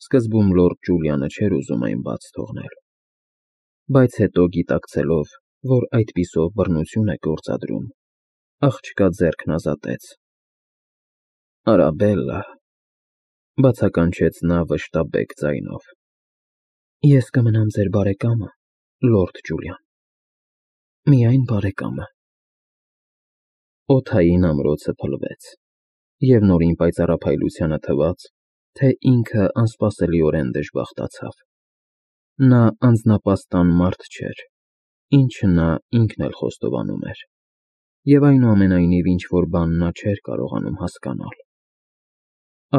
Սկզբում լորդ Ջուլիանը չէր ուզում այն բաց թողնել, բայց հետո գիտակցելով, որ այդպիսով բռնություն է գործադրում, աղջկա ձեռքն ազատեց։ Արաբելլա, բացականչեց նա վշտաբեկ ձայնով։ Ես կմնամ ձեր բարեկամը, լորդ Ջուլիան, միայն բարեկամը։ Օդային ամրոցը փլվեց, և նորին պայծառափայլությանը թվաց, թե ինքը անսպասելիորեն դժբախտացավ։ Նա անձնապաստան մարդ չէր, ինչը նա ինքն էլ խոստովանում էր, և այնուամենայնիվ ինչ-որ բան նա չէր կարողանում հասկանալ։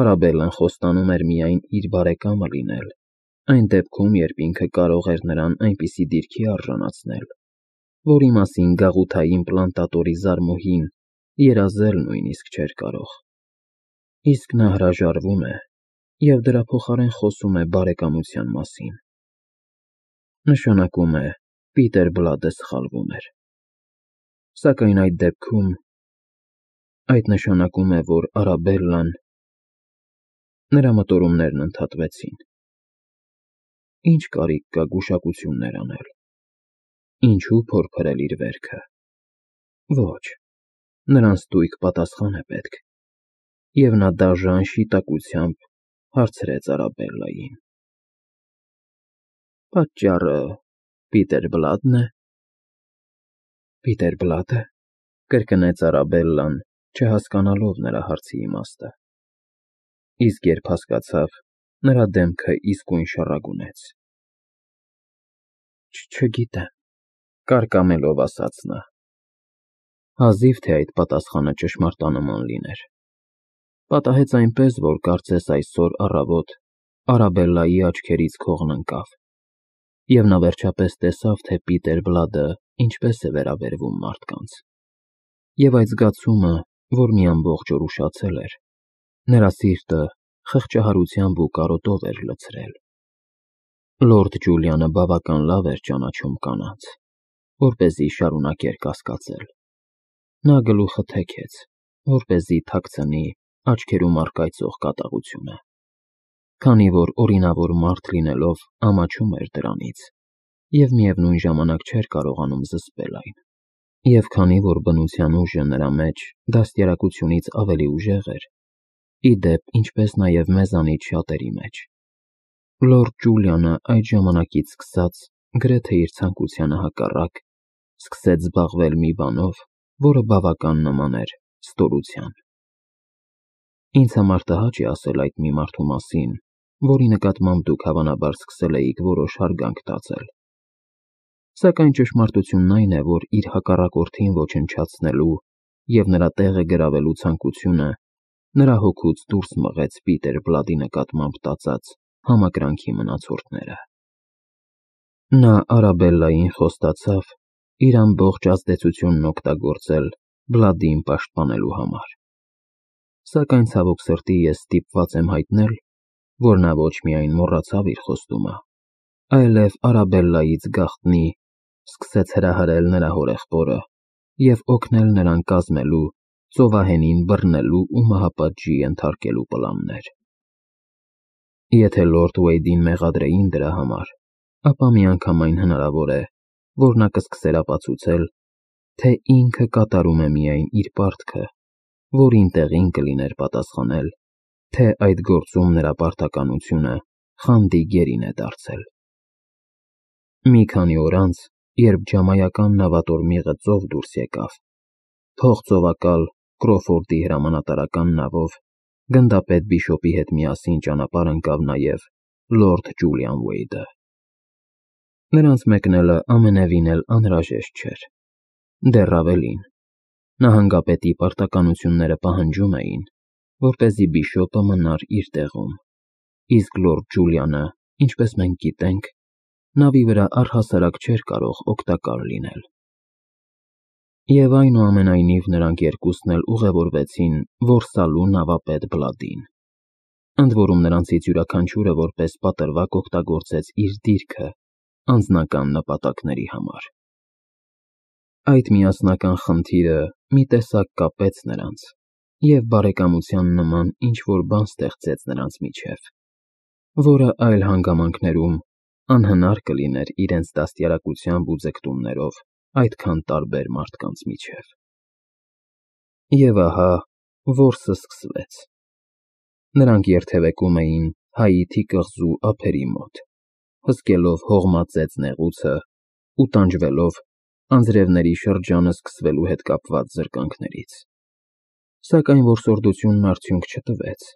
Արաբելլան խոստանում էր միայն իր բարեկամը լինել, այն դեպքում, երբ ինքը կարող էր նրան այնպիսի դիրքի արժանացնել, որի մասին գաղութային պլանտատորի զարմուհին երազել նույնիսկ չէր կարող։ Իսկ նա հրաժարվում է և դրա փոխարեն խոսում է բարեկամության մասին։ Նշանակում է, Պիտեր Բլադը սխալվում էր։ Սակայն այդ նշանակում է, որ Արաբելլան… Նրա մտորումներն ընդհատվեցին։ Ինչ կարիք կա գուշակություններ անել։ Ինչու փորփրել իր վերքը։ Ոչ, նրան ստույգ պատասխան է պետք, և նա դաժան շիտակությամբ հարցրեց Արաբելլային. Պատճառը Պիտեր Բլադն է։ Պիտեր Բլադը, կրկնեց Արաբելլան, չհասկանալով նրա հարցի իմաստը։ Իսկ երբ հասկացավ, նրա դեմքը իսկույն շառագունեց։ Չգիտեմ, կարկամելով ասաց նա։ Հազիվ թե այդ պատասխանը ճշմարտանման լիներ։ Պատահեց այնպես, որ կարծես այսօր առավոտ Արաբելլայի աչքերից քողն ընկավ, և նա վերջապես տեսավ, թե Պիտեր Բլադը ինչպես է վերաբերվում մարդկանց, և այդ զգացումը, որ մի ամբողջ օր ուշացել էր, նրա սիրտը խղճահարությամբ ու կարոտով էր լցրել։ Լորդ Ջուլիանը բավական լավ էր ճանաչում կանանց, որպեսզի շարունակեր կասկածել։ Նա գլուխը թեքեց, որպեսզի թաքցնի աչքերում առկայծող կատաղությունը, քանի որ օրինավոր մարդ լինելով ամաչում էր դրանից, և միևնույն ժամանակ չէր կարողանում զսպել այն, և քանի որ բնության ուժը նրա մեջ դաստիարակությունից ավելի ուժեղ էր, ի դեպ, ինչպես նաև մեզանից շատերի մեջ, լորդ Ջուլիանը այդ ժամանակից սկսած, գրեթե իր ցանկությանը հակառակ, սկսեց զբաղվել մի բանով, որը բավական նման էր ստորության։ Ինձ համար տհաճ է ասել այդ մի մարդու մասին, որի նկատմամբ դուք հավանաբար սկսել էիք որոշ հարգանք տածել։ Սակայն ճշմարտությունն այն է, որ իր հակառակորդին ոչնչացնելու և նրա տեղը գրավելու ցանկությունը նրա հոգուց դուրս մղեց Պիտեր Բլադի նկատմամբ տածած համակրանքի մնացորդները։ Նա Արաբելլային խոստացավ իր ամբողջ ազդեցությունն օգտագործել Բլադին պաշտպանելու համար։ Սակայն ցավոք սրտի ես ստիպված եմ հայտնել, որ նա ոչ միայն մոռացավ իր խոստումը, այլև Արաբելլայից գաղտնի սկսեց հրահրել նրա հորեղբորը և օգնել նրան կազմելու ծովահենին բռնելու ու մահապատժի ենթարկելու պլաններ։ Եթե լորդ Ուեյդին մեղադրեին դրա համար, ապա միանգամայն հնարավոր է, որ նա կսկսեր ապացուցել, թե ինքը կատարում է միայն իր պարտքը, որին տեղին կլիներ պատասխանել, թե այդ գործում նրա պարտականությունը խանդի գերին է դարձել։ Մի քանի օր անց, երբ ջամայական նավատորմիղը ծով դուրս եկավ, փողծովակալ Կրոֆորդի հրամանատարական նավով գնդապետ Բիշոպի հետ միասին ճանապարհ ընկավ նաև լորդ Ջուլիան Ուեյդը։ Նրանց մեկնելը ամենևին էլ անհրաժեշտ չէր։ Դեռ ավելին, նահանգապետի պարտականությունները պահանջում էին, որպեսզի Բիշոպը մնար իր տեղում, իսկ լորդ Ջուլիանը, ինչպես մենք գիտենք, նավի վրա առհասարակ չէր կարող օգտակար լինել։ Եվ այնուամենայնիվ նրանք երկուսն էլ ուղևորվեցին որսալու նավապետ Բլադին։ Ընդ որում նրանցից յուրաքանչյուրը որպես պատրվակ օգտագործեց իր դիրքը անձնական նպատակների համար։ Այդ միասնական խնդիրը մի տեսակ կապեց նրանց և բարեկամության նման ինչ-որ բան ստեղծեց նրանց միջև։ որը այլ հանգամանքներում անհնար կլիներ իրենց դաստիարակությամբ ու ձգտումներով այդքան տարբեր մարդկանց միջև։ Եվ ահա, որսը սկսվեց։ Նրանք երթևեկում էին Հայիթի կղզու ափերի մոտ, հսկելով հողմածեց նեղուցը ու տանջվելով անձրևների շրջանը սկսվելու հետ կապված զրկանքներից։ Սակայն որսորդությունն արդյունք չտվեց,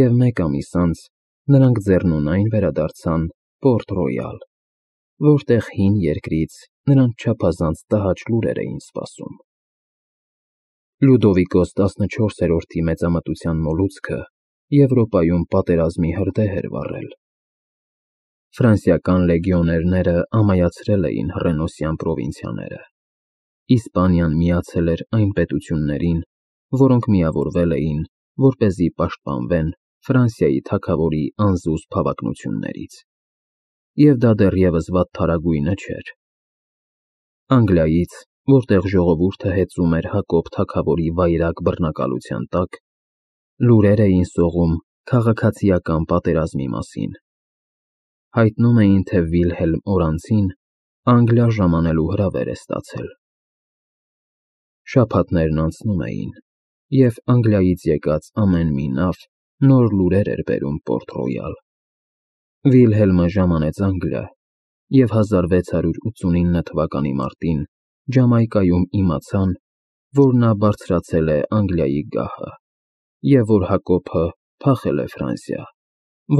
և մեկ ամիս անց նրանք ձեռնունայն վերադարձան Պորտ Ռոյալ, որտեղ հին երկրից նրանց չափազանց տհաճ լուրեր էին սպասում։ Լյուդովիկոս 14-րդի մեծամտության մոլուցքը Եվրոպայում պատերազմի հրդեհ էր վառել։ Ֆրանսիական լեգիոներները ամայացրել էին հռենոսյան պրովինցիաները։ Իսպանիան միացել էր այն պետություններին, որոնք միավորվել էին, որպեսզի պաշտպանվեն Ֆրանսիայի թագավորի անզուսպ հավակնություններից։ Եվ դա դեռևս վատթարագույնը չէր։ Անգլիայից, որտեղ ժողովուրդը հեծում էր Հակոբ թագավորի վայրագ բռնակալության տակ, լուրեր էին սողում քաղաքացիական պատերազմի մասին։ Հայտնում էին, թե Վիլհելմ Օրանցին Անգլիա ժամանելու հրավեր է ստացել։ Շաբաթներն անցնում էին, և Անգլիայից եկած ամեն մի նավ նոր լուրեր էր բերում Պորտ Ռոյալ։ Վիլհելմը ժամանեց Անգլիա, և 1689 թվականի մարտին Ջամայկայում իմացան, որ նա բարձրացել է Անգլիայի գահը, և որ Հակոբը փախել է Ֆրանսիա,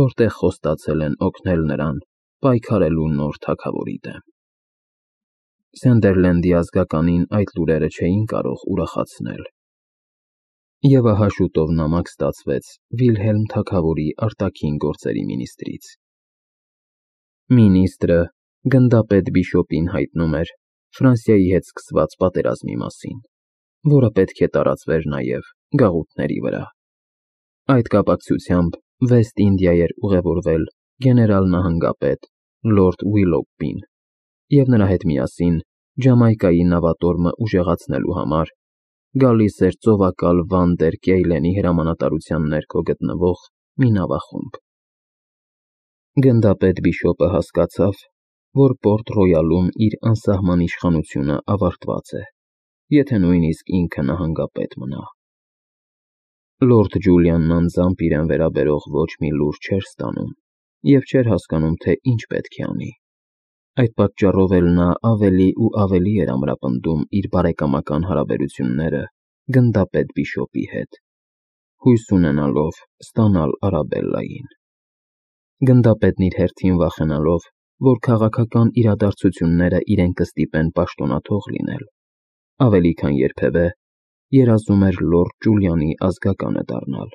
որտեղ խոստացել են օգնել նրան պայքարելու նոր թագավորի դեմ։ Սանդերլենդի ազգականին այդ լուրերը չէին կարող ուրախացնել։ Եվ ահա շուտով նամակ ստացվեց Վիլհելմ թագավորի արտաքին գործերի մինիստրից։ Մինիստրը գնդապետ Բիշոպին հայտնում էր Ֆրանսիայի հետ սկսված պատերազմի մասին, որը պետք է տարածվեր նաև գաղութների վրա։ Այդ կապակցությամբ Վեստ Ինդիա էր ուղևորվել գեներալ-նահանգապետ Լորդ Ուիլոգբին և նրա հետ միասին Ջամայկայի նավատորմը ուժեղացնելու համար գալիս էր ծովակալ Վանդեր Կեյլենի հրամանատարության ներքո գտնվող մի նավախումբ։ Գնդապետ Բիշոպը հասկացավ, որ Պորտ Ռոյալում իր անսահման իշխանությունը ավարտված է, եթե նույնիսկ ինքը նահանգապետ մնա։ Լորդ Ջուլիանն անձամբ իրեն վերաբերող ոչ մի լուր չէր ստանում և չէր հասկանում, թե ինչ պետք է անի։ Այդ պատճառով էլ նա ավելի ու ավելի էր ամրապնդում իր բարեկամական հարաբերությունները գնդապետ Բիշոպի հետ, հույս ունենալով ստանալ Արաբելլային։ Գնդապետն իր հերթին վախենալով, որ քաղաքական իրադարձությունները իրեն կստիպեն պաշտոնաթող լինել, ավելի քան երբևէ երազում էր Լորդ Ջուլիանի ազգականը դառնալ,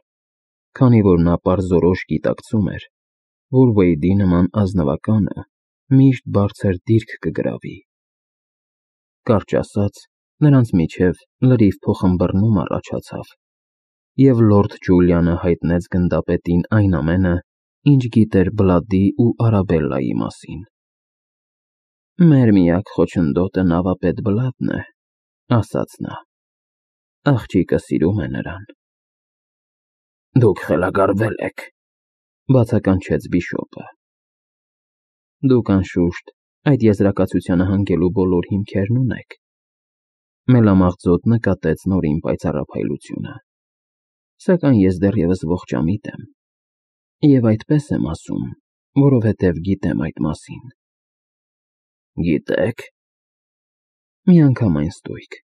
քանի որ նա պարզորոշ գիտակցում էր, որ Վեյդի նման ազնվականը միշտ բարձր դիրք կգրավի։ Կարճ ասած, նրանց միջև լրիվ փոխըմբռնում առաջացավ, և Լորդ Ջուլիանը հայտնեց գնդապետին այն ամենը, ինչ գիտեր Բլադի ու Արաբելլայի մասին։ «Մեր միակ խոչընդոտը նավապետ Բլադն է», ասաց նա։ «Աղջիկը սիրում է նրան»։ «Դուք խելագարվել եք», բացականչեց Բիշոպը։ «Դուք, անշուշտ, այդ եզրակացությանը հանգելու բոլոր հիմքերն ունեք», մելամաղձոտ նկատեց Նորին պայծառափայլությունը։ «Սակայն ես դեռևս ողջամիտ եմ, և այդպես եմ ասում, որովհետև գիտեմ այդ մասին»։ «Գիտեք»։ «Միանգամայն ստույգ։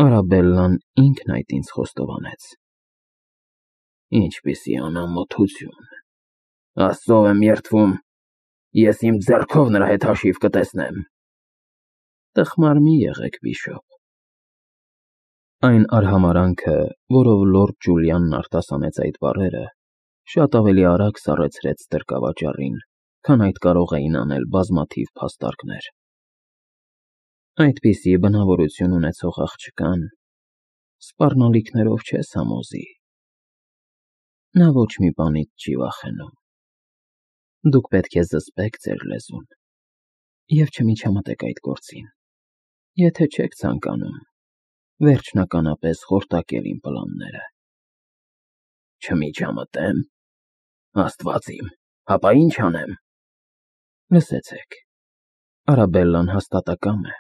Արաբելլան ինքն այդ ինձ խոստովանեց»։ «Ինչպիսի անամոթություն։ Աստծով եմ երդվում, ես իմ ձեռքով նրա հետ հաշիվ կտեսնեմ»։ «Տխմար մի եղեք, Բիշոպ»։ Այն արհամարհանքը, որով Լորդ Ջուլիանն արտասանեց այդ բառերը, շատ ավելի արագ սառեցրեց ստրկավաճառին, քան այդ կարող էին անել բազմաթիվ փաստարկներ։ Այդպիսի բնավորություն ունեցող աղջկան սպառնալիքներով չես համոզի։ Նա ոչ մի բանից չի վախենում։ Դուք պետք է զսպեք ձեր լեզուն և չմիջամտեք այդ գործին, եթե չեք ցանկանում վերջնականապես խորտակել իմ պլանները։ Չմիջամտեմ։ Աստված իմ, հապա ինչ անեմ։ Լսեցեք, Արաբելլան հաստատակամ է։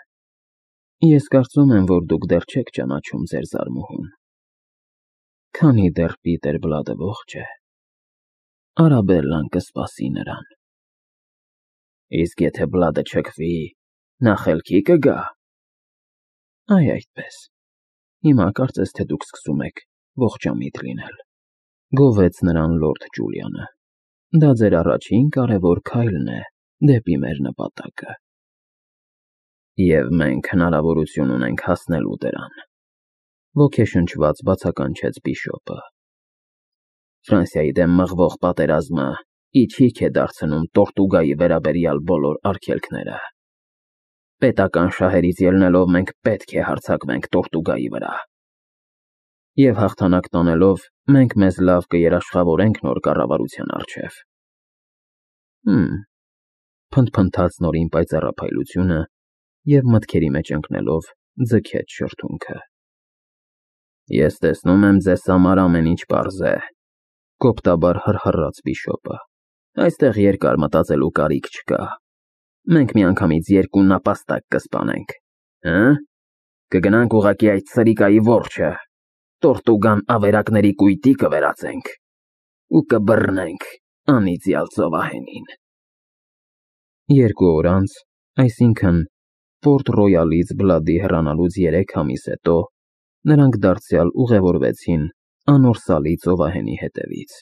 Ես կարծում եմ, որ դուք դեռ չեք ճանաչում ձեր զարմուհուն։ Քանի դեռ Պիտեր Բլադը ողջ է, Արաբելլան կսպասի նրան։ Իսկ եթե Բլադը չքվի, նա խելքի կգա։ Այ այդպես։ Հիմա կարծես թե դուք սկսում եք ողջամիտ լինել, գովեց նրան լորդ Ջուլիանը։ Դա ձեր առաջին կարևոր քայլն է դեպի մեր նպատակը։ Եվ մենք հնարավորություն ունենք հասնելու դրան, ոգեշնչված բացականչեց Բիշոպը։ Ֆրանսիայի դեմ մղվող պատերազմը իջիկ է դարձնում Տորտուգայի վերաբերյալ բոլոր արգելքները։ Պետական շահերից ելնելով մենք պետք է հարձակվենք Տորտուգայի վրա։ Եվ հաղթանակ տանելով մենք մեզ լավ կերաշխավորենք նոր կառավարության առջև։ Փնթփնթաց նորին պայծառափայլությունը և մտքերի մեջ ընկնելով ձգեց շրթունքը։ Ես տեսնում եմ ձեզ համար ամեն ինչ պարզ է, կոպտաբար հռհռաց Բիշոպը։ Այստեղ երկար մտածելու կարիք չկա։ Մենք միանգամից երկու նապաստակ կսպանենք, կգնանք ուղղակի այդ սրիկայի որջը, Տորտուգան ավերակների կույտի կվերածենք ու կբռնենք անիծյալ ծովահենին։ 2 օր անց, այսինքն Պորտ Ռոյալից Բլադի հեռանալուց 3 ամիս հետո, նրանք դարձյալ ուղևորվեցին անորսալի ծովահենի հետևից,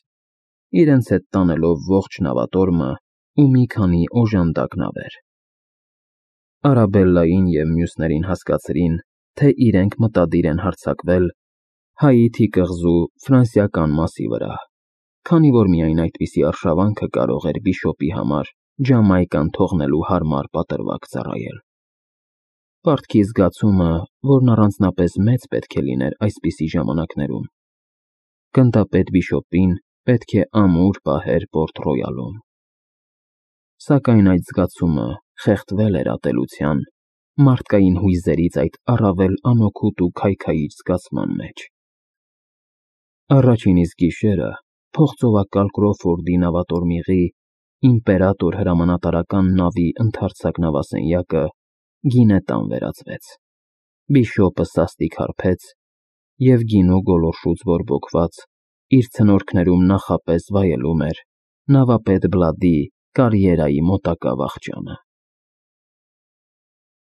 իրենց հետ տանելով ողջ նավատորմը ու մի քանի օժանդակ նավեր։ Արաբելլային և մյուսներին հասկացրին, թե իրենք մտադիր են հարձակվել Հայիթի կղզու ֆրանսիական մասի վրա, քանի որ միայն այդպիսի արշավանքը կարող էր Բիշոպի համար Ջամայկան թողնելու հարմար պատրվակ ծառայել։ Պարտքի զգացումը, որն առանձնապես մեծ պետք է լիներ այսպիսի ժամանակներում, գնդապետ Բիշոպին պետք է ամուր պահեր Պորտ Ռոյալում։ Սակայն այդ զգացումը խեղդվել էր ատելության, մարդկային հույզերից այդ առավել անօգուտ ու քայքայիչ զգացման մեջ։ Առաջին իսկ գիշերը փողծովակալ Կրոֆորդի նավատորմիղի իմպերատոր հրամանատարական նավի ընդարձակ նավասենյակը գինետան վերածվեց։ Բիշոպը սաստիկ հարբեց և գինու գոլորշուց բորբոքված իր ցնորքներում նախապես վայելում էր նավապետ Բլադի կարիերայի մոտակա վախճանը։